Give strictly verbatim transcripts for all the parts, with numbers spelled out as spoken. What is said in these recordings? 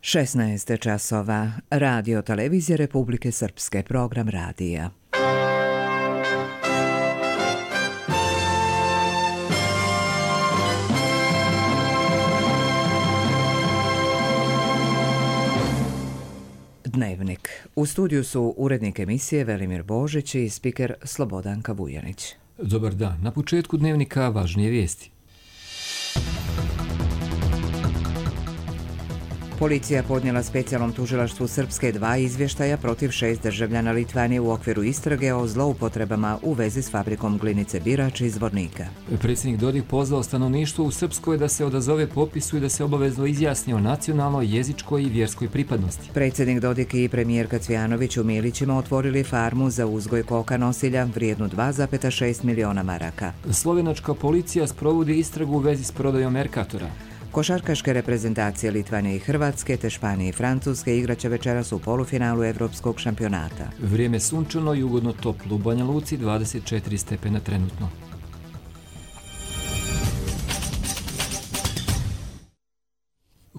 šesnaest časova. Radio Televizije Republike Srpske, program radija. Dnevnik. U studiju su urednik emisije Velimir Božić i spiker Slobodanka Vujanić. Dobar dan. Na početku dnevnika važnije vijesti. Policija podnijela specijalnom tužilaštvu Srpske dva izvještaja protiv šest državljana Litvanije u okviru istrage o zloupotrebama u vezi s fabrikom glinice Birač iz Zvornika. Predsjednik Dodik pozvao stanovništvo u Srpskoj da se odazove popisu i da se obavezno izjasni o nacionalnoj, jezičkoj i vjerskoj pripadnosti. Predsjednik Dodik i premijerka Cvjanović u Milićima otvorili farmu za uzgoj koka nosilja vrijednu dva zarez šest miliona maraka. Slovenačka policija sprovodi istragu u vezi s prodajom Merkatora. Košarkaške reprezentacije Litvanije i Hrvatske te Španije i Francuske igraće večeras u polufinalu Evropskog šampionata. Vrijeme sunčano i ugodno toplo u Banja Luci, dvadeset četiri stepena trenutno.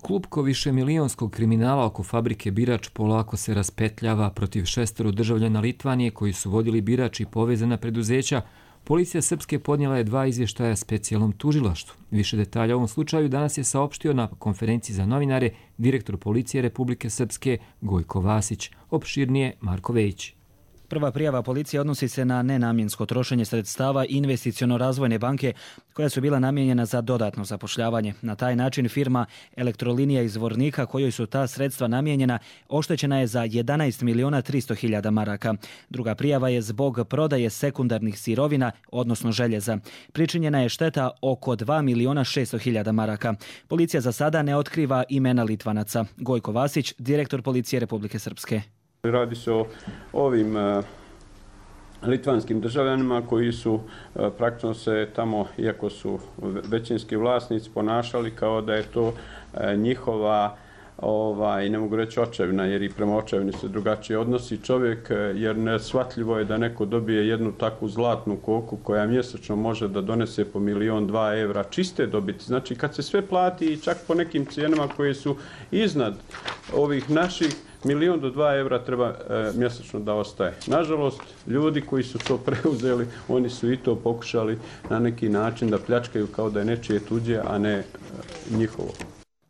Klupko višemilijonskog kriminala oko fabrike Birač polako se raspetljava protiv šestero državljana Litvanije koji su vodili Birač i povezana preduzeća. Policija Srpske podnijela je dva izvještaja specijalnom tužilaštvu. Više detalja u ovom slučaju danas je saopštio na konferenciji za novinare direktor Policije Republike Srpske Gojko Vasić. Opširnije Marko Vejić. Prva prijava policije odnosi se na nenamjensko trošenje sredstava investiciono-razvojne banke koja su bila namijenjena za dodatno zapošljavanje. Na taj način firma Elektrolinija iz Zvornika, kojoj su ta sredstva namijenjena, oštećena je za jedanaest miliona tristo hiljada maraka. Druga prijava je zbog prodaje sekundarnih sirovina, odnosno željeza. Pričinjena je šteta oko dva miliona šesto hiljada maraka. Policija za sada ne otkriva imena Litvanaca. Gojko Vasić, direktor Policije Republike Srpske. Radi se o ovim uh, litvanskim državljanima koji su uh, praktično se tamo, iako su većinski vlasnici, ponašali kao da je to uh, njihova, ovaj, ne mogu reći očevina, jer i prema očevini se drugačije odnosi čovjek, jer neshvatljivo je da neko dobije jednu takvu zlatnu koku koja mjesečno može da donese po milion, dva evra čiste dobiti. Znači kad se sve plati i čak po nekim cijenama koje su iznad ovih naših, milion do dva evra treba e, mjesečno da ostaje. Nažalost, ljudi koji su to preuzeli, oni su i to pokušali na neki način da pljačkaju kao da je nečije tuđe, a ne e, njihovo.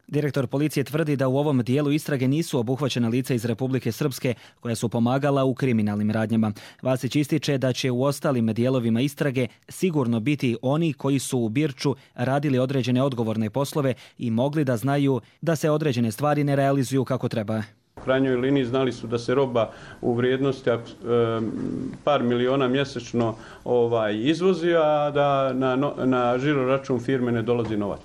Direktor policije tvrdi da u ovom dijelu istrage nisu obuhvaćena lica iz Republike Srpske koja su pomagala u kriminalnim radnjama. Vasić ističe da će u ostalim dijelovima istrage sigurno biti oni koji su u Birču radili određene odgovorne poslove i mogli da znaju da se određene stvari ne realizuju kako treba. U krajnjoj liniji znali su da se roba u vrijednosti e, par miliona mjesečno ovaj, izvozi, a da na, na žiro račun firme ne dolazi novac.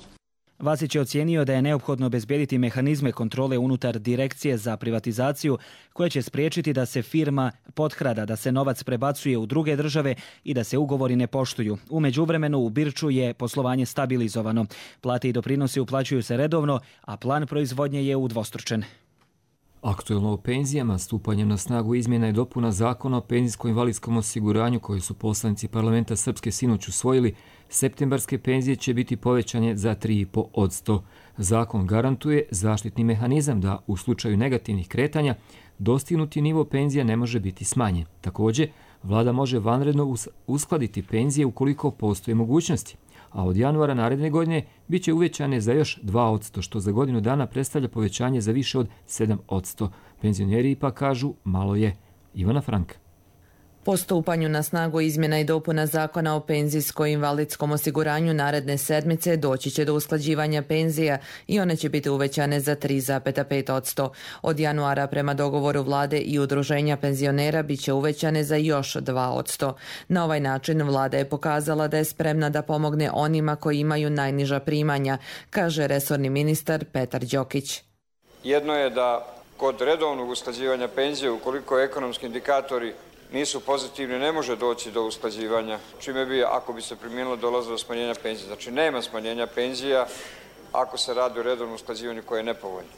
Vasić je ocijenio da je neophodno obezbijediti mehanizme kontrole unutar Direkcije za privatizaciju koje će spriječiti da se firma potkrada, da se novac prebacuje u druge države i da se ugovori ne poštuju. U međuvremenu u Birču je poslovanje stabilizovano. Plate i doprinosi uplaćuju se redovno, a plan proizvodnje je udvostručen. Aktuelno o penzijama, stupanjem na snagu izmjena i dopuna zakona o penzijsko-invalidskom osiguranju koji su poslanici parlamenta Srpske sinoć usvojili, septembarske penzije će biti povećanje za tri zarez pet posto. Zakon garantuje zaštitni mehanizam da u slučaju negativnih kretanja dostignuti nivo penzija ne može biti smanjen. Također, vlada može vanredno uskladiti penzije ukoliko postoje mogućnosti, a od januara naredne godine bit će uvećane za još dva posto, što za godinu dana predstavlja povećanje za više od sedam posto. Penzioneri ipak kažu malo je. Ivana Franka. Po stupanju na snagu izmjena i dopuna zakona o penzijsko-invalidskom osiguranju naredne sedmice doći će do usklađivanja penzija i one će biti uvećane za tri zarez pet posto. Od januara prema dogovoru vlade i udruženja penzionera bit će uvećane za još dva posto. Na ovaj način vlada je pokazala da je spremna da pomogne onima koji imaju najniža primanja, kaže resorni ministar Petar Đokić. Jedno je da kod redovnog usklađivanja penzije, ukoliko ekonomski indikatori nisu pozitivni, ne može doći do usklađivanja, čime bi, ako bi se primijenilo, dolazilo do smanjenja penzija. Znači, nema smanjenja penzija ako se radi o redovnom usklađivanju koje je nepovoljno.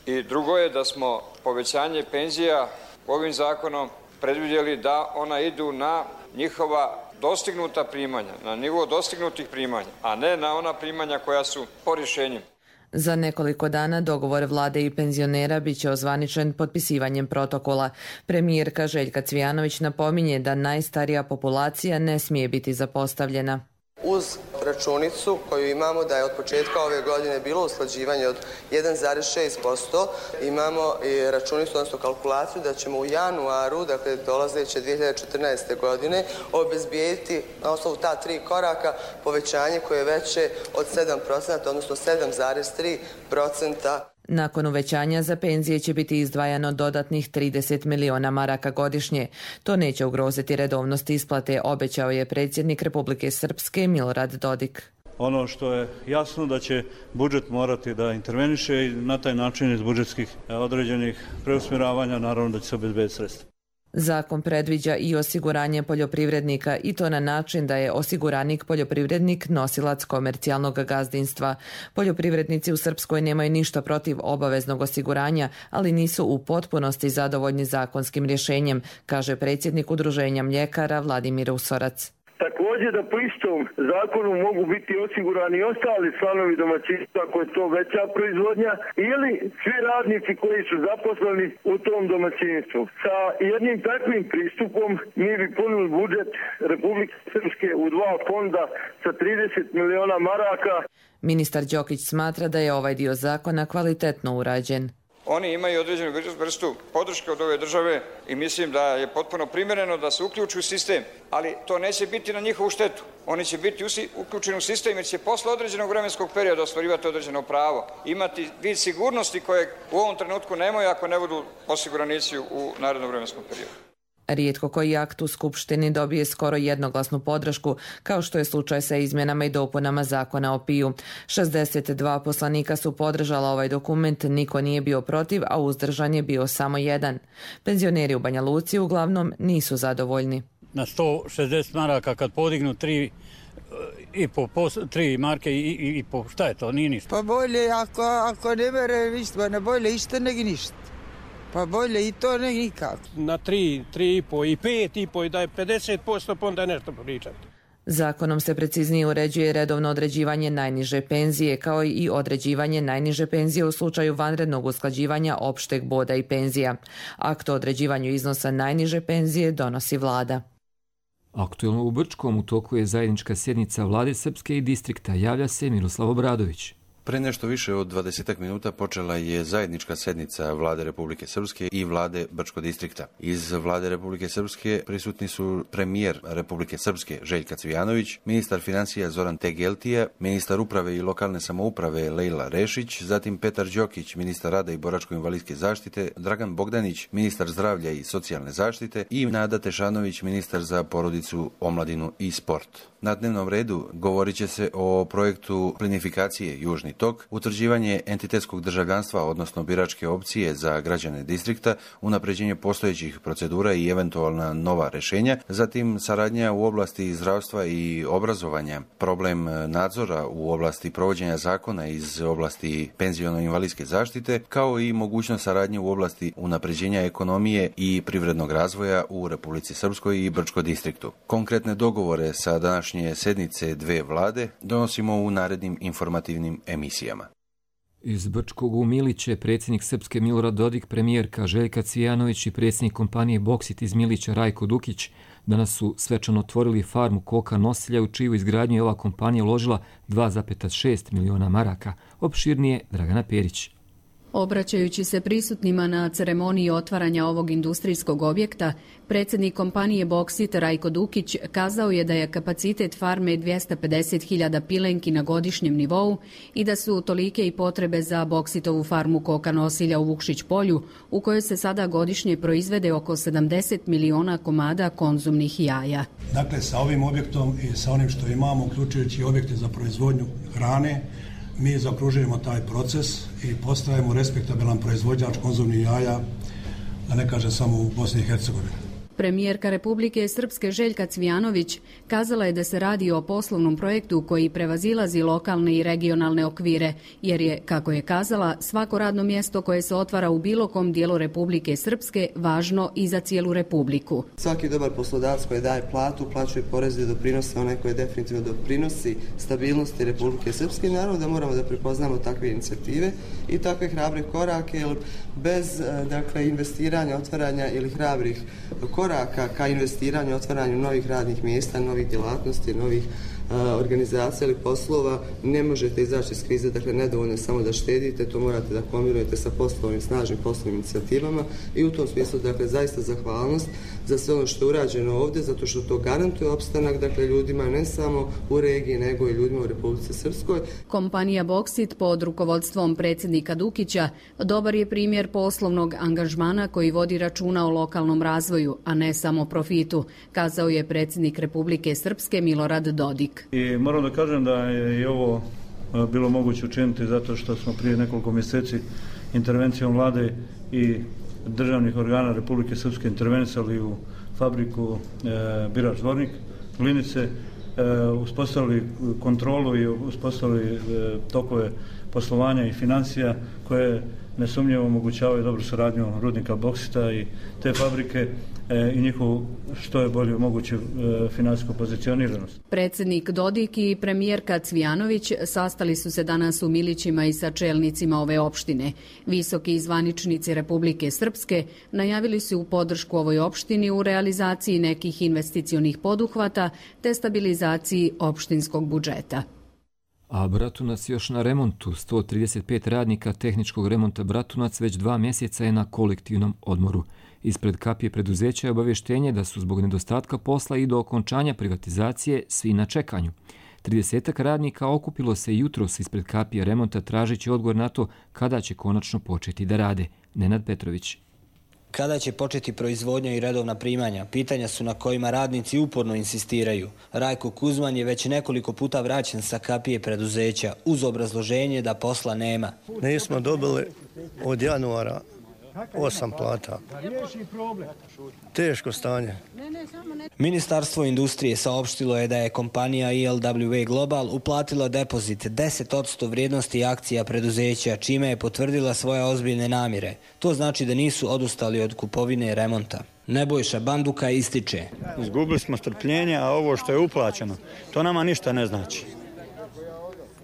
I drugo je da smo povećanje penzija ovim zakonom predvidjeli da ona idu na njihova dostignuta primanja, na nivo dostignutih primanja, a ne na ona primanja koja su po rješenju. Za nekoliko dana dogovor vlade i penzionera bit će ozvaničen potpisivanjem protokola. Premijerka Željka Cvijanović napominje da najstarija populacija ne smije biti zapostavljena. Uz računicu koju imamo da je od početka ove godine bilo usklađivanje od jedan zarez šest posto, imamo i računicu, odnosno kalkulaciju da ćemo u januaru, dakle dolazeće dvije hiljade četrnaeste. godine, obezbijediti na osnovu ta tri koraka povećanje koje je veće od sedam posto, odnosno sedam zarez tri posto. Nakon uvećanja za penzije će biti izdvajano dodatnih trideset miliona maraka godišnje. To neće ugroziti redovnost isplate, obećao je predsjednik Republike Srpske Milorad Dodik. Ono što je jasno da će budžet morati da interveniše i na taj način iz budžetskih određenih preusmjeravanja naravno da će se obezbediti sredstva. Zakon predviđa i osiguranje poljoprivrednika i to na način da je osiguranik poljoprivrednik nosilac komercijalnog gazdinstva. Poljoprivrednici u Srpskoj nemaju ništa protiv obaveznog osiguranja, ali nisu u potpunosti zadovoljni zakonskim rješenjem, kaže predsjednik Udruženja mljekara Vladimir Usorac. Također da po istom zakonu mogu biti osigurani i ostali članovi domaćinstva ako je to veća proizvodnja ili svi radnici koji su zaposleni u tom domaćinstvu. Sa jednim takvim pristupom mi bi punili budžet Republike Srpske u dva fonda sa trideset miliona maraka. Ministar Đokić smatra da je ovaj dio zakona kvalitetno urađen. Oni imaju određenu vrstu podrške od ove države i mislim da je potpuno primjereno da se uključi u sistem, ali to neće biti na njihovu štetu. Oni će biti uključeni u sistem jer će posle određenog vremenskog perioda ostvarivati određeno pravo, imati vid sigurnosti koje u ovom trenutku nemaju ako ne budu osiguranici u narednom vremenskom periodu. Rijetko koji akt u Skupštini dobije skoro jednoglasnu podršku, kao što je slučaj sa izmjenama i dopunama zakona o piju. šezdeset dva poslanika su podržala ovaj dokument, niko nije bio protiv, a uzdržan je bio samo jedan. Penzioneri u Banja Luci uglavnom nisu zadovoljni. Na sto šezdeset maraka kad podignu tri i po, po tri marke i, i, i po, šta je to, nije ništa. Pa bolje, ako, ako ne mere ništa, ne bolje isto nego ništa. Pa bolje i to ne nikako. Na tri, tri i po i pet i po i da je pedeset posto pa onda nešto pričati. Zakonom se preciznije uređuje redovno određivanje najniže penzije kao i određivanje najniže penzije u slučaju vanrednog usklađivanja opšteg boda i penzija. Akt o određivanju iznosa najniže penzije donosi vlada. Aktuelno u Brčkom u toku je zajednička sjednica vlade Srpske i distrikta, javlja se Miroslav Obradović. Pre nešto više od dvadesetak minuta počela je zajednička sednica vlade Republike Srpske i vlade Brčkog distrikta. Iz vlade Republike Srpske prisutni su premijer Republike Srpske Željka Cvijanović, ministar financija Zoran Tegeltija, ministar uprave i lokalne samouprave Lejla Rešić, zatim Petar Đokić, ministar rada i boračko-invalidske zaštite, Dragan Bogdanić, ministar zdravlja i socijalne zaštite i Nada Tešanović, ministar za porodicu, omladinu i sport. Na dnevnom redu govorit će se o projektu plinifikacije Južni tok, utvrđivanje entitetskog državljanstva, odnosno biračke opcije za građane distrikta, unapređenje postojećih procedura i eventualna nova rješenja, zatim saradnja u oblasti zdravstva i obrazovanja, problem nadzora u oblasti provođenja zakona iz oblasti penziono-invalidske zaštite, kao i mogućnost saradnje u oblasti unapređenja ekonomije i privrednog razvoja u Republici Srpskoj i Brčkom distriktu. Konkretne dogovore sa današnje sednice dve vlade donosimo u narednim informativnim emisijama. Iz Brčkog u Miliće predsjednik Srpske Milorad Dodik, premijerka Željka Cvijanović i predsjednik kompanije Boksit iz Milića Rajko Dukić danas su svečano otvorili farmu koka nosilja u čiju izgradnju je ova kompanija uložila dva zarez šest miliona maraka. Opširnije Dragana Perić. Obraćajući se prisutnima na ceremoniji otvaranja ovog industrijskog objekta, predsjednik kompanije Boksit Rajko Dukić kazao je da je kapacitet farme dvjesto pedeset hiljada pilenki na godišnjem nivou i da su tolike i potrebe za Boksitovu farmu koka nosilja u Vukšić polju, u kojoj se sada godišnje proizvede oko sedamdeset miliona komada konzumnih jaja. Dakle, sa ovim objektom i sa onim što imamo, uključujući objekte za proizvodnju hrane, mi zaokružujemo taj proces i postajemo respektabilan proizvođač konzumnih jaja, da ne kažem samo u Bosni i Hercegovini. Premijerka Republike Srpske Željka Cvijanović kazala je da se radi o poslovnom projektu koji prevazilazi lokalne i regionalne okvire, jer je, kako je kazala, svako radno mjesto koje se otvara u bilo kom dijelu Republike Srpske važno i za cijelu Republiku. Svaki dobar poslodavac koji daje platu, plaćuje poreze i doprinose, onaj koji definitivno doprinosi stabilnosti Republike Srpske. Naravno da moramo da prepoznamo takve inicijative i takve hrabre korake, jer bez dakle, investiranja, otvaranja ili hrabrih koraka ka investiranju, otvaranju novih radnih mjesta, novih djelatnosti, novih a, organizacija ili poslova, ne možete izaći iz krize. Dakle, nedovoljno je samo da štedite, to morate da kombinujete sa poslovnim, snažnim poslovnim inicijativama i u tom smislu, dakle, zaista zahvalnost za sve ono što je urađeno ovdje, zato što to garantuje opstanak, dakle, ljudima ne samo u regiji, nego i ljudima u Republici Srpskoj. Kompanija Boksit pod rukovodstvom predsjednika Dukića dobar je primjer poslovnog angažmana koji vodi računa o lokalnom razvoju, a ne samo profitu, kazao je predsjednik Republike Srpske Milorad Dodik. I moram da kažem da je i ovo bilo moguće učiniti zato što smo prije nekoliko mjeseci intervencijom vlade i državnih organa Republike Srpske intervenisali u fabriku e, Birač Zvornik, Glinice, e, uspostavili kontrolu i uspostavili e, tokove poslovanja i financija koje nesumnjivo omogućavaju dobru suradnju rudnika Boksita i te fabrike e, i njihovu što je bolje moguće e, financijsku pozicioniranost. Predsjednik Dodik i premijerka Cvijanović sastali su se danas u Milićima i sa čelnicima ove opštine. Visoki zvaničnici Republike Srpske najavili su u podršku ovoj opštini u realizaciji nekih investicionih poduhvata te stabilizaciji opštinskog budžeta. A Bratunac još na remontu. sto trideset pet radnika tehničkog remonta Bratunac već dva mjeseca je na kolektivnom odmoru. Ispred kapije preduzeća je obavještenje da su zbog nedostatka posla i do okončanja privatizacije svi na čekanju. tridesetak radnika okupilo se jutros ispred kapije remonta tražeći odgovor na to kada će konačno početi da rade. Nenad Petrović. Kada će početi proizvodnja i redovna primanja? Pitanja su na kojima radnici uporno insistiraju. Rajko Kuzman je već nekoliko puta vraćen sa kapije preduzeća uz obrazloženje da posla nema. Nismo dobili od januara osam plata. Teško stanje. Ministarstvo industrije saopštilo je da je kompanija E L W A Global uplatila depozit deset posto vrijednosti akcija preduzeća, čime je potvrdila svoje ozbiljne namjere. To znači da nisu odustali od kupovine remonta. Nebojša Banduka ističe. Izgubili smo strpljenje, a ovo što je uplaćeno, to nama ništa ne znači.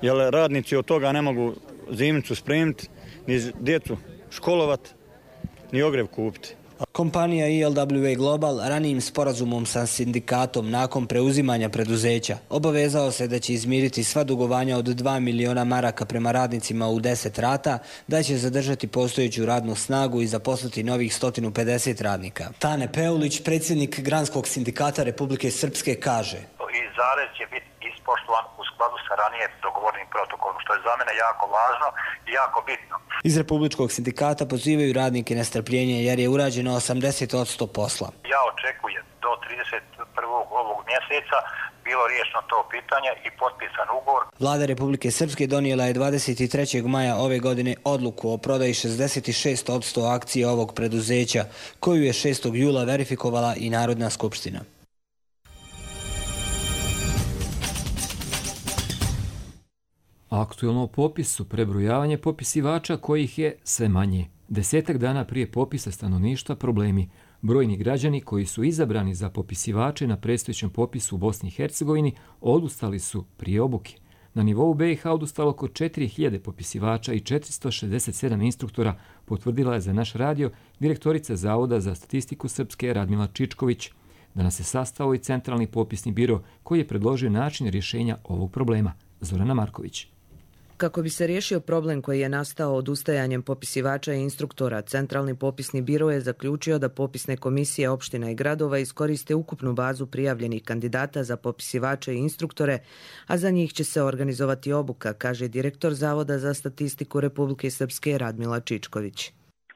Jer radnici od toga ne mogu zimnicu spremiti, ni djecu školovati, ni ogrev kupiti. Kompanija E L W A Global ranijim sporazumom sa sindikatom nakon preuzimanja preduzeća obavezao se da će izmiriti sva dugovanja od dva miliona maraka prema radnicima u deset rata, da će zadržati postojeću radnu snagu i zaposliti novih sto pedeset radnika. Tane Peulić, predsjednik Granskog sindikata Republike Srpske, kaže: I zarez će biti ispoštovan u skladu sa ranije dogovornim protokolom, što je za mene jako važno i jako bitno. Iz Republičkog sindikata pozivaju radnike na strpljenje jer je urađeno osamdeset posto posla. Ja očekujem do trideset prvog ovog mjeseca bilo riješeno to pitanje i potpisan ugovor. Vlada Republike Srpske donijela je dvadeset trećeg maja ove godine odluku o prodaji šezdeset šest posto akcije ovog preduzeća, koju je šestog jula verifikovala i Narodna skupština. Aktuelno o popisu, prebrojavanje popisivača kojih je sve manje. Desetak dana prije popisa stanovništva problemi. Brojni građani koji su izabrani za popisivače na predstojećem popisu u Bosni i Hercegovini odustali su prije obuke. Na nivou B i H odustalo oko četiri hiljade popisivača i četiristo šezdeset sedam instruktora, potvrdila je za naš radio direktorica Zavoda za statistiku Srpske Radmila Čičković. Danas se sastao i Centralni popisni biro koji je predložio način rješenja ovog problema. Zorana Marković. Kako bi se riješio problem koji je nastao odustajanjem popisivača i instruktora, Centralni popisni biro je zaključio da popisne komisije opština i gradova iskoriste ukupnu bazu prijavljenih kandidata za popisivače i instruktore, a za njih će se organizovati obuka, kaže direktor Zavoda za statistiku Republike Srpske Radmila Čičković.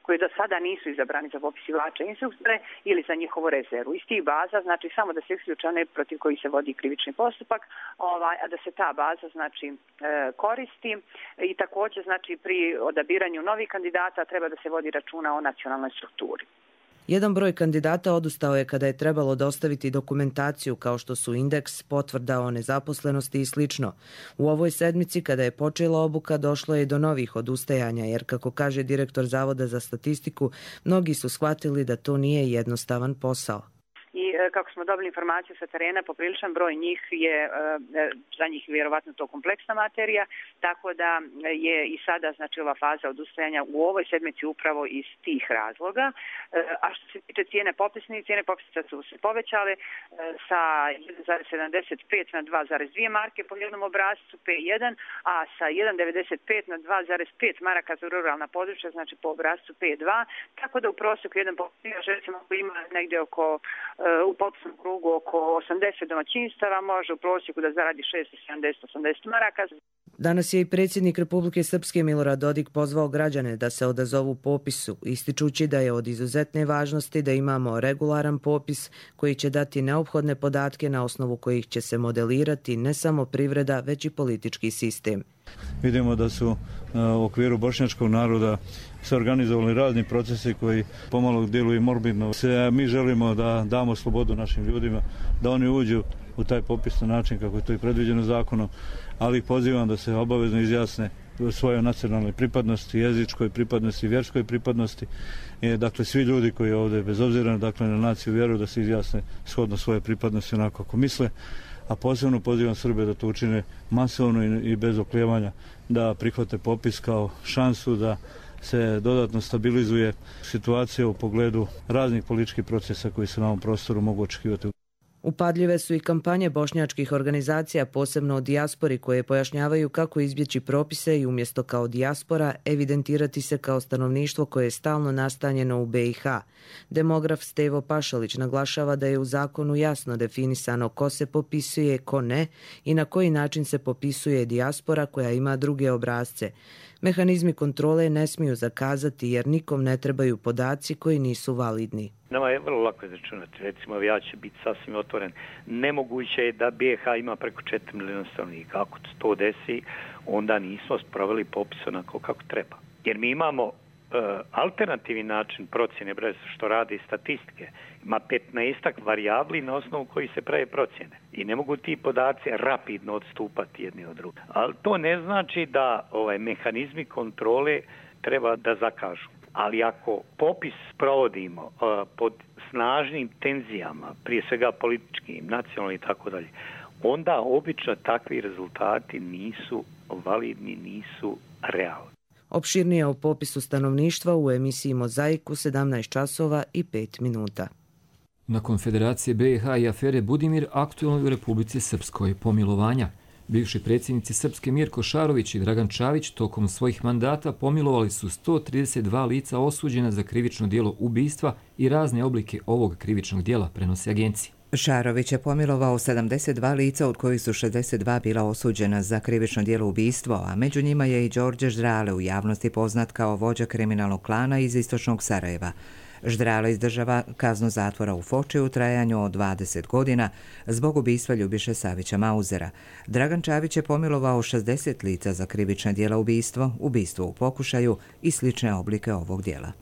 Koji do sada nisu izabrani za popisivače instruktore ili za njihovu rezervu. Iz tih baza, znači samo da se isključe one protiv koji se vodi krivični postupak, ovaj, a da se ta baza znači e, koristi i također znači pri odabiranju novih kandidata treba da se vodi računa o nacionalnoj strukturi. Jedan broj kandidata odustao je kada je trebalo dostaviti dokumentaciju kao što su indeks, potvrda o nezaposlenosti i slično. U ovoj sedmici kada je počela obuka došlo je do novih odustajanja jer, kako kaže direktor Zavoda za statistiku, mnogi su shvatili da to nije jednostavan posao. I kako smo dobili informaciju sa terena, popriličan broj njih je, za njih vjerovatno to kompleksna materija, tako da je i sada znači ova faza odustajanja u ovoj sedmici upravo iz tih razloga. A što se tiče cijene popisnice, cijene popisnica su se povećale sa jedan zarez sedamdeset pet na dva zarez dvije marke po jednom obrascu P jedan, a sa jedan zarez devedeset pet na dva zarez pet maraka za ruralna područja, znači po obrascu P dva, tako da u prosjeku jedan popisnič recimo ima negdje oko u popisnom krugu oko osamdeset domaćinstava, može u prosjeku da zaradi šezdeset do sedamdeset do osamdeset maraka. Danas je i predsjednik Republike Srpske Milorad Dodik pozvao građane da se odazovu popisu, ističući da je od izuzetne važnosti da imamo regularan popis koji će dati neophodne podatke na osnovu kojih će se modelirati ne samo privreda, već i politički sistem. Vidimo da su u okviru bošnjačkog naroda se organizovali razni procesi koji pomalo djeluju morbidno. Mi želimo da damo slobodu našim ljudima, da oni uđu u taj popis na način kako je to i predviđeno zakonom, ali ih pozivam da se obavezno izjasne svojoj nacionalnoj pripadnosti, jezičkoj pripadnosti, vjerskoj pripadnosti. Dakle, svi ljudi koji ovdje, bez obzira dakle, na naciju vjeru, da se izjasne shodno svoje pripadnosti onako kako misle. A posebno pozivam Srbe da to učine masovno i bez oklijevanja, da prihvate popis kao šansu da se dodatno stabilizuje situacija u pogledu raznih političkih procesa koji se na ovom prostoru mogu očekivati. Upadljive su i kampanje bošnjačkih organizacija, posebno o dijaspori, koje pojašnjavaju kako izbjeći propise i umjesto kao dijaspora evidentirati se kao stanovništvo koje je stalno nastanjeno u B i H. Demograf Stevo Pašalić naglašava da je u zakonu jasno definisano ko se popisuje, ko ne i na koji način se popisuje dijaspora koja ima druge obrasce. Mehanizmi kontrole ne smiju zakazati jer nikom ne trebaju podaci koji nisu validni. Nama je vrlo lako izračunati. Recimo, ja ću biti sasvim otvoren. Nemoguće je da B H ima preko četiri milijuna stanovnika. Ako se to desi, onda nismo sproveli popis onako kako treba. Jer mi imamo uh, alternativni način procjene brez što rade statistike. Ima petnaestak varijabli na osnovu koji se prave procjene. I ne mogu ti podaci rapidno odstupati jedni od drugih. Ali to ne znači da ovaj, mehanizmi kontrole treba da zakažu. Ali ako popis provodimo uh, pod snažnim tenzijama, prije svega političkim, nacionalnim i tako dalje, onda obično takvi rezultati nisu validni, nisu realni. Opširnije o popisu stanovništva u emisiji Mozaik u sedamnaest časova i pet minuta. Na Konfederacije B i H i afere Budimir aktualno u Republici Srpskoj pomilovanja. Bivši predsjednici Srpske Mirko Šarović i Dragan Čavić tokom svojih mandata pomilovali su sto trideset dva lica osuđena za krivično djelo ubistva i razne oblike ovog krivičnog djela, prenosi agencija. Šarović je pomilovao sedamdeset dva lica, od kojih su šezdeset dva bila osuđena za krivično djelo ubistvo, a među njima je i Đorđe Ždrale, u javnosti poznat kao vođa kriminalnog klana iz istočnog Sarajeva. Ždrale izdržava kaznu zatvora u Foči u trajanju od dvadeset godina zbog ubistva Ljubiše Savića Mauzera. Dragan Čavić je pomilovao šezdeset lica za krivična djela ubistvo, ubistvo u pokušaju i slične oblike ovog djela.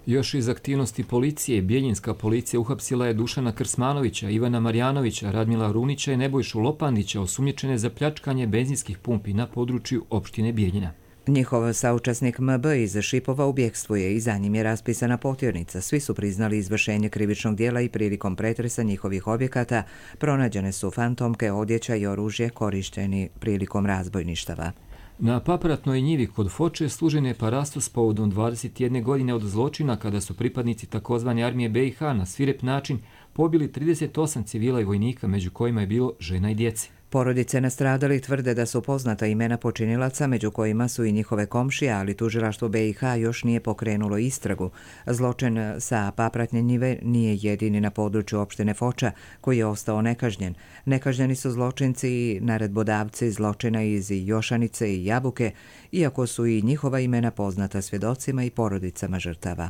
Još iz aktivnosti policije, Bijeljinska policija uhapsila je Dušana Krsmanovića, Ivana Marjanovića, Radmila Runića i Nebojšu Lopandića, osumnjičene za pljačkanje benzinskih pumpi na području opštine Bijeljina. Njihov saučesnik M B iz Šipova u bjegstvu je i za njim je raspisana potjernica. Svi su priznali izvršenje krivičnog djela i prilikom pretresa njihovih objekata pronađene su fantomke, odjeća i oružje korišteni prilikom razbojništava. Na Papratnoj njivi kod Foče služen je parastos povodom dvadeset jedne godine od zločina kada su pripadnici takozvane armije B i H na svirep način pobili trideset osam civila i vojnika, među kojima je bilo žena i djece. Porodice nastradali tvrde da su poznata imena počinilaca, među kojima su i njihove komšije, ali tužilaštvo B i H još nije pokrenulo istragu. Zločin sa Papratne njive nije jedini na području opštine Foča koji je ostao nekažnjen. Nekažnjeni su zločinci i naredbodavci zločina iz Jošanice i Jabuke, iako su i njihova imena poznata svjedocima i porodicama žrtava.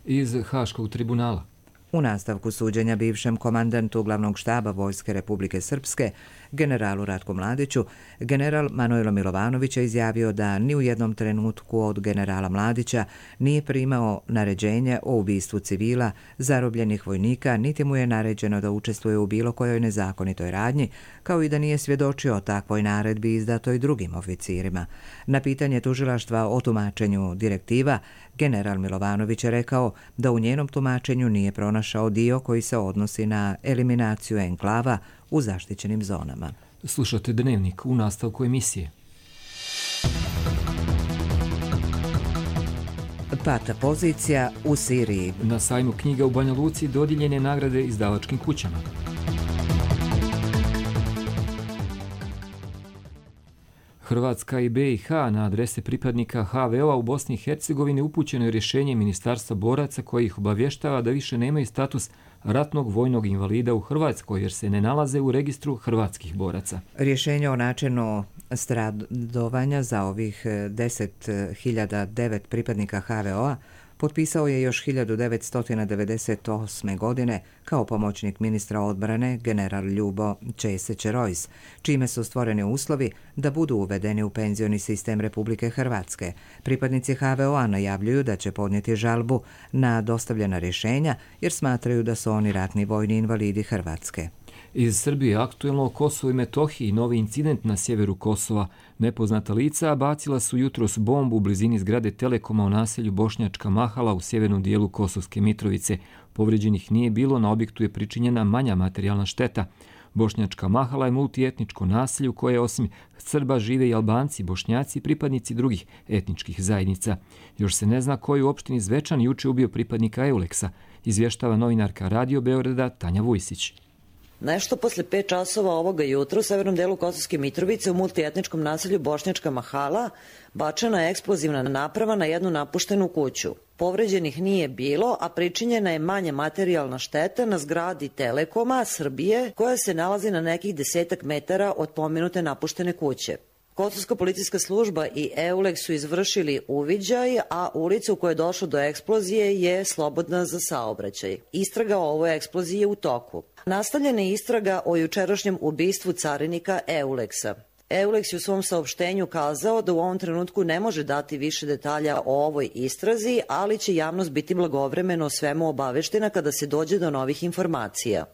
Iz Haškog tribunala. U nastavku suđenja bivšem komandantu glavnog štaba Vojske Republike Srpske, generalu Ratku Mladiću, general Manojlo Milovanović je izjavio da ni u jednom trenutku od generala Mladića nije primao naređenje o ubistvu civila, zarobljenih vojnika, niti mu je naređeno da učestvuje u bilo kojoj nezakonitoj radnji, kao i da nije svjedočio o takvoj naredbi izdatoj drugim oficirima. Na pitanje tužilaštva o tumačenju direktiva, general Milovanović je rekao da u njenom tumačenju nije pronašao dio koji se odnosi na eliminaciju enklava u zaštićenim zonama. Slušate Dnevnik u nastavku emisije. Pata pozicija u Siriji. Na sajmu knjiga u Banja Luci dodijeljene nagrade izdavačkim kućama. Hrvatska i B i H na adrese pripadnika H V O-a u Bosni i Hercegovini upućeno je rješenje Ministarstva boraca koji ih obavještava da više nemaju status ratnog vojnog invalida u Hrvatskoj jer se ne nalaze u registru hrvatskih boraca. Rješenje o načinu stradovanja za ovih deset hiljada devet pripadnika H V O-a potpisao je još hiljadu devetsto devedeset osme. godine kao pomoćnik ministra odbrane general Ljubo Česić-Rojs, čime su stvoreni uslovi da budu uvedeni u penzioni sistem Republike Hrvatske. Pripadnici H V O-a najavljuju da će podnijeti žalbu na dostavljena rješenja jer smatraju da su oni ratni vojni invalidi Hrvatske. Iz Srbije aktuelno o Kosovu i Metohiji novi incident na sjeveru Kosova. Nepoznata lica bacila su jutros bombu u blizini zgrade Telekoma u naselju Bošnjačka Mahala u sjevernom dijelu Kosovske Mitrovice. Povrijeđenih nije bilo, na objektu je pričinjena manja materijalna šteta. Bošnjačka Mahala je multietničko naselje u koje osim Srba žive i Albanci, Bošnjaci i pripadnici drugih etničkih zajednica. Još se ne zna koji u opštini Zvečan juče ubio pripadnika Euleksa, izvještava novinarka Radio Beograda Tanja Vujsić. Nešto posle pet časova ovoga jutra u severnom delu Kosovske Mitrovice u multietničkom naselju Bošnjačka Mahala bačena je eksplozivna naprava na jednu napuštenu kuću. Povređenih nije bilo, a pričinjena je manja materijalna šteta na zgradi Telekoma Srbije koja se nalazi na nekih desetak metara od pomenute napuštene kuće. Kosovska policijska služba i Euleks su izvršili uviđaj, a ulica u kojoj je došlo do eksplozije je slobodna za saobraćaj. Istraga o ovoj eksploziji je u toku. Nastavljena je istraga o jučerašnjem ubistvu carinika Euleksa. Euleks je u svom saopštenju kazao da u ovom trenutku ne može dati više detalja o ovoj istrazi, ali će javnost biti blagovremeno o svemu obaveštena kada se dođe do novih informacija.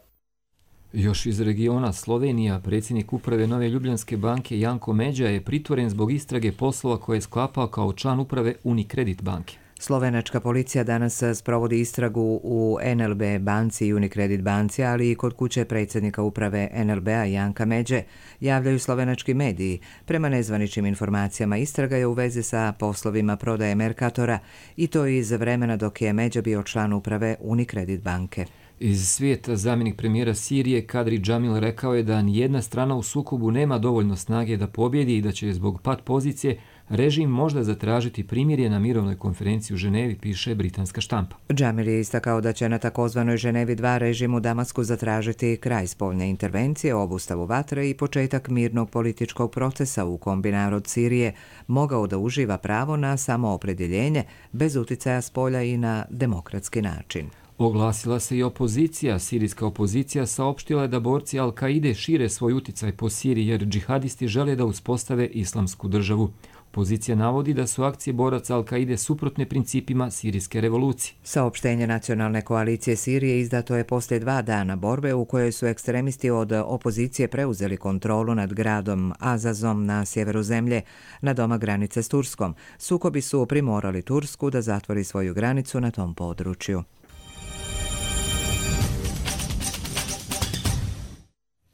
Još iz regiona Slovenija, predsjednik uprave Nove Ljubljanske banke Janko Međa je pritvoren zbog istrage poslova koje je sklapao kao član uprave Unicredit banke. Slovenačka policija danas sprovodi istragu u N L B banci i Unicredit banci, ali i kod kuće predsjednika uprave N L B-a Janka Međe, javljaju slovenački mediji. Prema nezvaničnim informacijama istraga je u vezi sa poslovima prodaje Mercatora i to iz vremena dok je Međa bio član uprave Unicredit banke. Iz svijeta zamjenik premijera Sirije Kadri Džamil rekao je da nijedna strana u sukobu nema dovoljno snage da pobjedi i da će zbog pat pozicije režim možda zatražiti primirje na mirovnoj konferenciji u Ženevi, piše britanska štampa. Džamil je istakao da će na takozvanoj Ženevi dva režim u Damasku zatražiti kraj spoljne intervencije, obustavu vatre i početak mirnog političkog procesa u kom bi narod Sirije mogao da uživa pravo na samoopredjeljenje bez uticaja s polja i na demokratski način. Oglasila se i opozicija. Sirijska opozicija saopštila je da borci Al-Kaide šire svoj uticaj po Siriji jer džihadisti žele da uspostave islamsku državu. Opozicija navodi da su akcije boraca Al-Kaide suprotne principima sirijske revolucije. Saopštenje Nacionalne koalicije Sirije izdato je poslije dva dana borbe u kojoj su ekstremisti od opozicije preuzeli kontrolu nad gradom Azazom na sjeveru zemlje, na doma granice s Turskom. Sukobi su primorali Tursku da zatvori svoju granicu na tom području.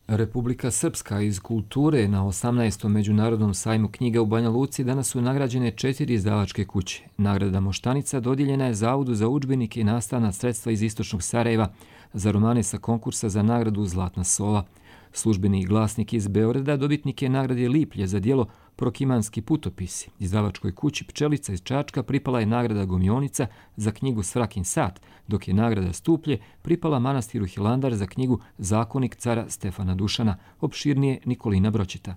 Republika Srpska iz kulture na osamnaestom međunarodnom sajmu knjiga u Banja Luci danas su nagrađene četiri izdavačke kuće. Nagrada Moštanica dodijeljena je Zavodu za udžbenike i nastavna sredstva iz istočnog Sarajeva za romane sa konkursa za nagradu Zlatna sova. Službeni glasnik iz Beograda dobitnik je nagrade Liplje za djelo Prokimanski putopisi. Izdavačkoj kući Pčelica iz Čačka pripala je nagrada Gomionica za knjigu Svrakin sat, dok je nagrada Stuplje pripala manastiru Hilandar za knjigu Zakonik cara Stefana Dušana, opširnije Nikolina Bročita.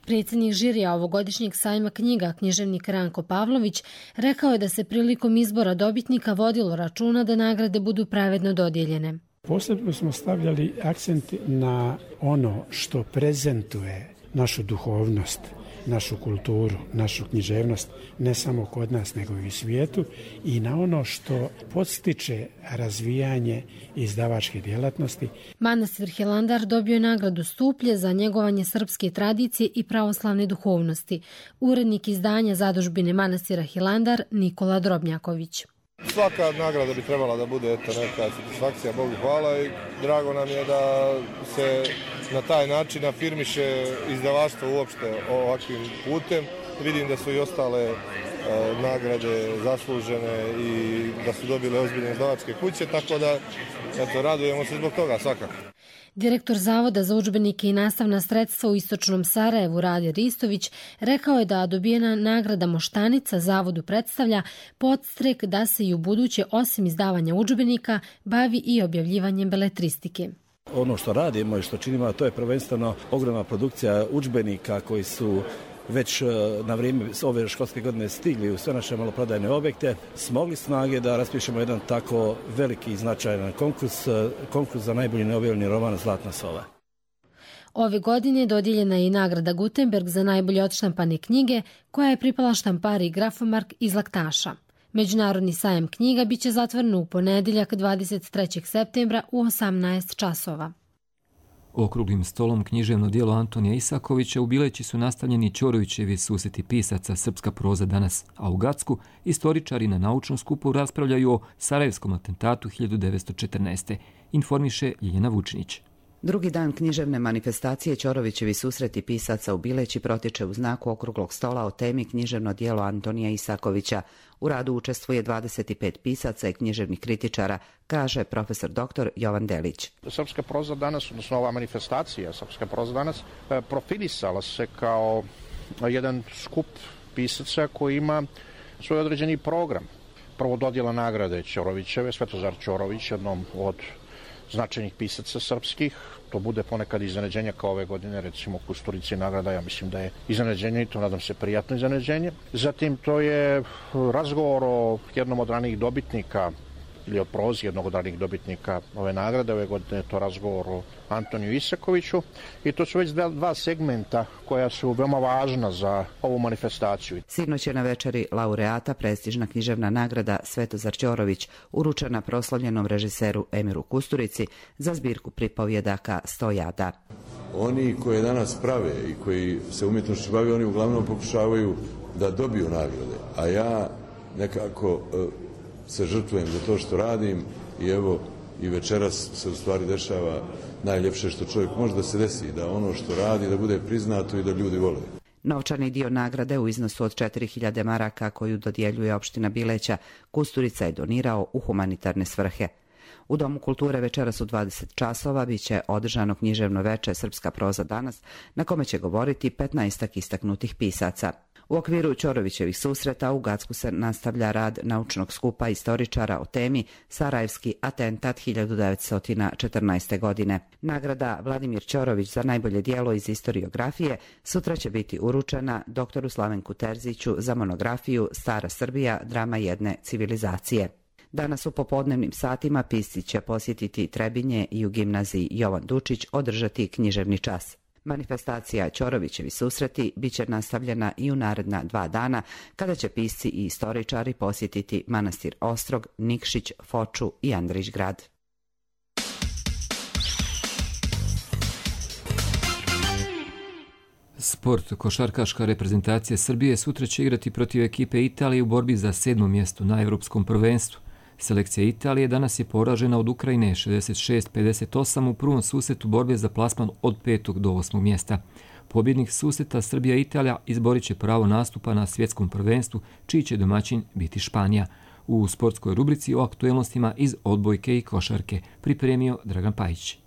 Predsjednik žirija ovogodišnjeg sajma knjiga, književnik Ranko Pavlović, rekao je da se prilikom izbora dobitnika vodilo računa da nagrade budu pravedno dodijeljene. Posebno smo stavljali akcent na ono što prezentuje našu duhovnost, našu kulturu, našu književnost, ne samo kod nas nego i u svijetu, i na ono što podstiče razvijanje izdavačke djelatnosti. Manastir Hilandar dobio je nagradu Stuplje za njegovanje srpske tradicije i pravoslavne duhovnosti. Urednik izdanja zadužbine manastira Hilandar Nikola Drobnjaković. Svaka nagrada bi trebala da bude eto, neka satisfakcija, Bogu hvala, i drago nam je da se na taj način afirmiše izdavaštvo uopšte ovakvim putem. Vidim da su i ostale e, nagrade zaslužene i da su dobile ozbiljne izdavačke kuće, tako da eto, radujemo se zbog toga svakako. Direktor Zavoda za udžbenike i nastavna sredstva u Istočnom Sarajevu Rade Ristović rekao je da dobijena nagrada Moštanica Zavodu predstavlja podstrek da se i u buduće, osim izdavanja udžbenika, bavi i objavljivanjem beletristike. Ono što radimo i što činimo, to je prvenstveno ogromna produkcija udžbenika koji su već na vrijeme ove školske godine stigli u sve naše maloprodajne objekte, smogli snage da raspišemo jedan tako veliki i značajan konkurs, konkurs za najbolji neobjavljeni roman Zlatna sova. Ove godine dodijeljena je i nagrada Gutenberg za najbolje odštampane knjige, koja je pripala štampari Grafomark iz Laktaša. Međunarodni sajam knjiga biće zatvoren u ponedjeljak dvadeset trećeg septembra u osamnaest časova. Okruglim stolom književno djelo Antonija Isakovića u Bileći su nastavljeni Ćorovićevi susreti pisaca Srpska proza danas, a u Gacku istoričari na naučnom skupu raspravljaju o Sarajevskom atentatu hiljadu devetsto četrnaeste. Informiše Ljiljana Vučinić. Drugi dan književne manifestacije Ćorovićevi susreti pisaca u Bileći protiče u znaku okruglog stola o temi književno djelo Antonija Isakovića. U radu učestvuje dvadeset pet pisaca i književnih kritičara, kaže profesor doktor Jovan Delić. Srpska proza danas, odnosno ova manifestacija Srpska proza danas, profilisala se kao jedan skup pisaca koji ima svoj određeni program. Prvo dodjela nagrade Ćorovićeve, Svetozar Ćorović, jednom od značajnih pisaca srpskih. To bude ponekad iznenađenje kao ove godine, recimo Kusturici nagrada, ja mislim da je iznenađenje i to nadam se prijatno iznenađenje. Zatim to je razgovor o jednom od ranijih dobitnika ili o prozi jednog od ranijih dobitnika ove nagrade. Ove godine je to razgovor o Antoniju Isakoviću i to su već dva segmenta koja su veoma važna za ovu manifestaciju. Sinoć je na večeri laureata prestižna književna nagrada Svetozar Ćorović uručena proslavljenom režiseru Emiru Kusturici za zbirku pripovjedaka Stojada. Oni koji danas prave i koji se umjetnošću bave, oni uglavnom pokušavaju da dobiju nagrade, a ja nekako se žrtvujem za to što radim i evo i večeras se u stvari dešava najljepše što čovjek može da se desi, da ono što radi da bude priznato i da ljudi vole. Novčani dio nagrade u iznosu od četiri hiljade maraka koju dodjeljuje opština Bileća Kusturica je donirao u humanitarne svrhe. U Domu kulture večeras u dvadeset časova biće održano književno veče Srpska proza danas, na kome će govoriti petnaestak istaknutih pisaca. U okviru Ćorovićevih susreta u Gacku se nastavlja rad naučnog skupa istoričara o temi Sarajevski atentat hiljadu devetsto četrnaeste. godine. Nagrada Vladimir Ćorović za najbolje djelo iz istoriografije sutra će biti uručena doktoru Slavenku Terziću za monografiju Stara Srbija, drama jedne civilizacije. Danas u popodnevnim satima pisci će posjetiti Trebinje i u gimnaziji Jovan Dučić održati književni čas. Manifestacija Ćorovićevi susreti biće nastavljena i u naredna dva dana, kada će pisci i istoričari posjetiti manastir Ostrog, Nikšić, Foču i Andrić grad. Sport. Košarkaška reprezentacija Srbije sutra će igrati protiv ekipe Italije u borbi za sedmo mjesto na Evropskom prvenstvu. Selekcija Italije danas je poražena od Ukrajine šezdeset šest pedeset osam u prvom susretu borbe za plasman od petog do osmog mjesta. Pobjednik susreta Srbija i Italija izborit će pravo nastupa na svjetskom prvenstvu, čiji će domaćin biti Španija. U sportskoj rubrici o aktuelnostima iz odbojke i košarke pripremio Dragan Pajić.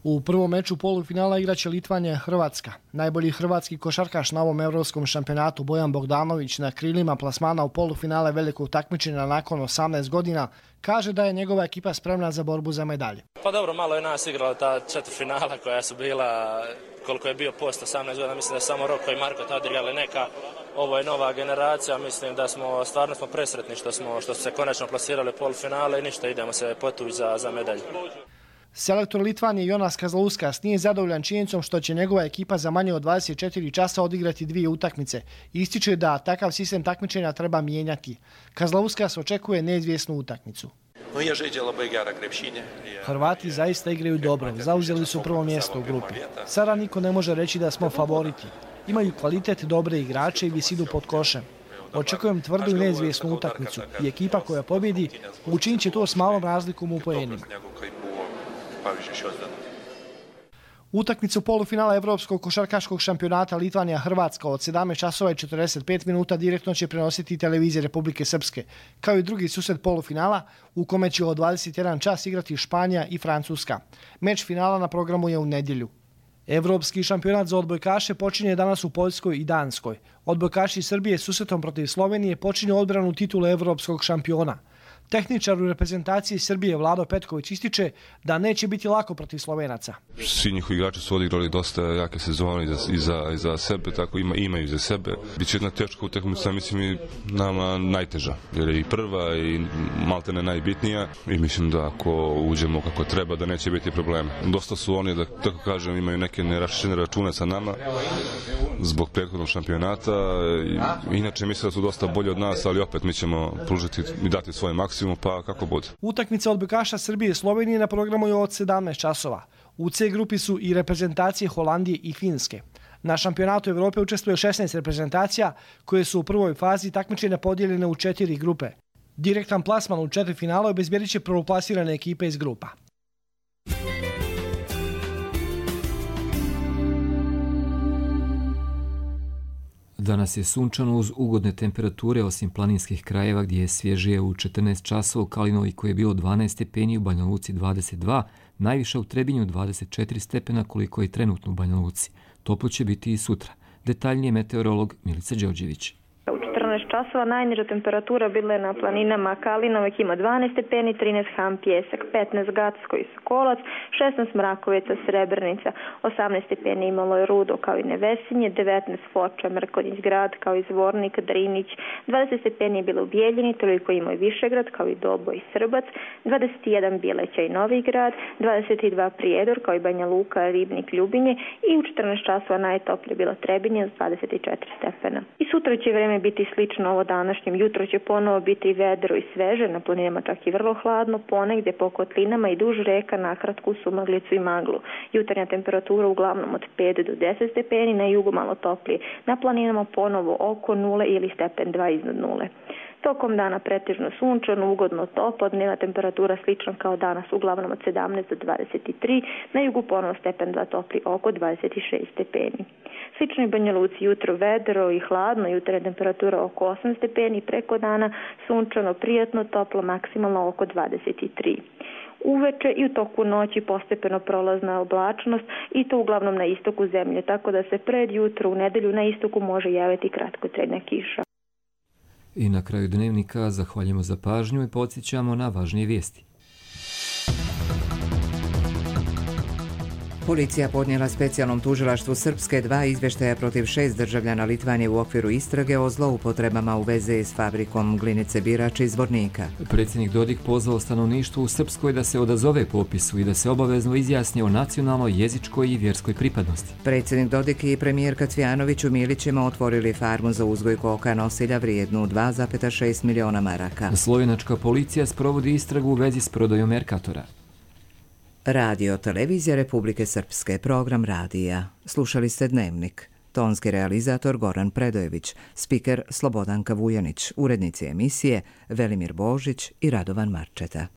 U prvom meču polufinala igraće Litvanja Hrvatska. Najbolji hrvatski košarkaš na ovom evropskom šampionatu Bojan Bogdanović na krilima plasmana u polufinale velikog takmičenja nakon osamnaest godina kaže da je njegova ekipa spremna za borbu za medalje. Pa dobro, malo je nas igrala ta četvrtfinala koja su bila, koliko je bio post osamnaest godina, mislim da samo Roko i Marko tad igrali neka. Ovo je nova generacija, mislim da smo stvarno smo presretni što smo što su se konačno plasirali u polufinale i ništa, idemo se potući za, za medalju. Selektor Litvanije Jonas Kazlauskas nije zadovoljan činjenicom što će njegova ekipa za manje od dvadeset četiri časa odigrati dvije utakmice. Ističe da takav sistem takmičenja treba mijenjati. Kazlauskas očekuje neizvjesnu utakmicu. Hrvati zaista igraju dobro, zauzeli su prvo mjesto u grupi. Sada niko ne može reći da smo favoriti. Imaju kvalitet, dobre igrače i visinu pod košem. Očekujem tvrdu i neizvjesnu utakmicu i ekipa koja pobjedi učinit će to s malom razlikom u poenima. Utakmicu polufinala Evropskog košarkaškog šampionata Litvanija-Hrvatska od sedamnaest časova i četrdeset pet minuta direktno će prenositi televizija Republike Srpske, kao i drugi susret polufinala u kome će od dvadeset jedan čas igrati Španija i Francuska. Meč finala na programu je u nedjelju. Evropski šampionat za odbojkaše počinje danas u Poljskoj i Danskoj. Odbojkaši Srbije susretom protiv Slovenije počinju odbranu titule evropskog šampiona. Tehničar u reprezentaciji Srbije Vlado Petković ističe da neće biti lako protiv Slovenaca. Svi njihovi igrači su odigrali dosta jake sezone iza, iza, iza sebe, tako ima, imaju za sebe. Biće jedna teška utakmica, mislim i nama najteža, jer je i prva i maltene najbitnija i mislim da ako uđemo kako treba da neće biti problema. Dosta su oni, da tako kažem, imaju neke neraščene račune sa nama zbog prethodnog šampionata. Inače mislim da su dosta bolji od nas, ali opet mi ćemo pružiti i dati svoj maksimum. Pa kako bude. Utakmica odbojkaša Srbije i Slovenije na programu je od sedamnaest časova. U C grupi su i reprezentacije Holandije i Finske. Na šampionatu Evrope učestvuje šesnaest reprezentacija koje su u prvoj fazi takmičenja podijeljene u četiri grupe. Direktan plasman u četiri finala obezbjedit će prvoplasirane ekipe iz grupa. Danas je sunčano uz ugodne temperature osim planinskih krajeva gdje je svježije u četrnaest časova, u Kalinovi koji je bilo dvanaest stepeni, u Banja Luci dvadeset dva, najviše u Trebinju dvadeset četiri stepena koliko je trenutno u Banja Luci. Toplo će biti i sutra. Detaljnije meteorolog Milica Đorđević. U četrnaest časova najniža temperatura bila je na planinama Kalinovek ima dvanaest stepeni, trinaest Ham Pjesak, petnaest Gacko i Sokolac, šesnaest Mrakovica, Srebrenica, osamnaest stepeni imalo je Rudo kao i Nevesinje, devetnaest Foča, Mrkonjić Grad kao i Zvornik, Drinić, dvadeset stepeni je bilo u Bijeljini, toliko imao i Višegrad kao i Dobo i Srbac, dvadeset jedan Bileća i Novi Grad, dvadeset dva Prijedor kao i Banja Luka, Ribnik, Ljubinje i u četrnaest časova najtoplje bilo Trebinje s dvadeset četiri stepena. I sutra će vreme biti slično ovo današnjem. Jutro će ponovo biti vedro i sveže, na planinama čak i vrlo hladno, ponegdje po kotlinama i duž reka nakratku sumaglicu i maglu. Jutarnja temperatura uglavnom od pet do deset stepeni, na jugu malo toplije. Na planinama ponovo oko nule ili stepen dva iznad nule. Tokom dana pretežno sunčano, ugodno toplo, dnevna temperatura slična kao danas, uglavnom od sedamnaest do dvadeset tri, na jugu ponovo stepen dva topli oko dvadeset šest stepeni. Slično i Banja Luci, jutro vedro i hladno, jutarnja temperatura oko osam stepeni, preko dana sunčano, prijatno, toplo, maksimalno oko dvadeset tri. Uveče i u toku noći postepeno prolazna oblačnost i to uglavnom na istoku zemlje, tako da se pred jutro u nedelju na istoku može javiti kratkotrajna kiša. I na kraju dnevnika zahvaljujemo za pažnju i podsjećamo na važnije vijesti. Policija podnijela specijalnom tužilaštvu Srpske dva izvještaja protiv šest državljana Litvanije u okviru istrage o zloupotrebama u vezi s fabrikom glinice Birač iz Zvornika. Predsjednik Dodik pozvao stanovništvo u Srpskoj da se odazove popisu i da se obavezno izjasni o nacionalnoj, jezičkoj i vjerskoj pripadnosti. Predsjednik Dodik i premijerka Cvjanović u Milićima otvorili farmu za uzgoj koka nosilja vrijednu dva zarez šest miliona maraka. Slovenačka policija sprovodi istragu u vezi s prodajom Merkatora. Radio Televizija Republike Srpske, program radija. Slušali ste Dnevnik. Tonski realizator Goran Predojević, spiker Slobodanka Vujanić, urednici emisije Velimir Božić i Radovan Marčeta.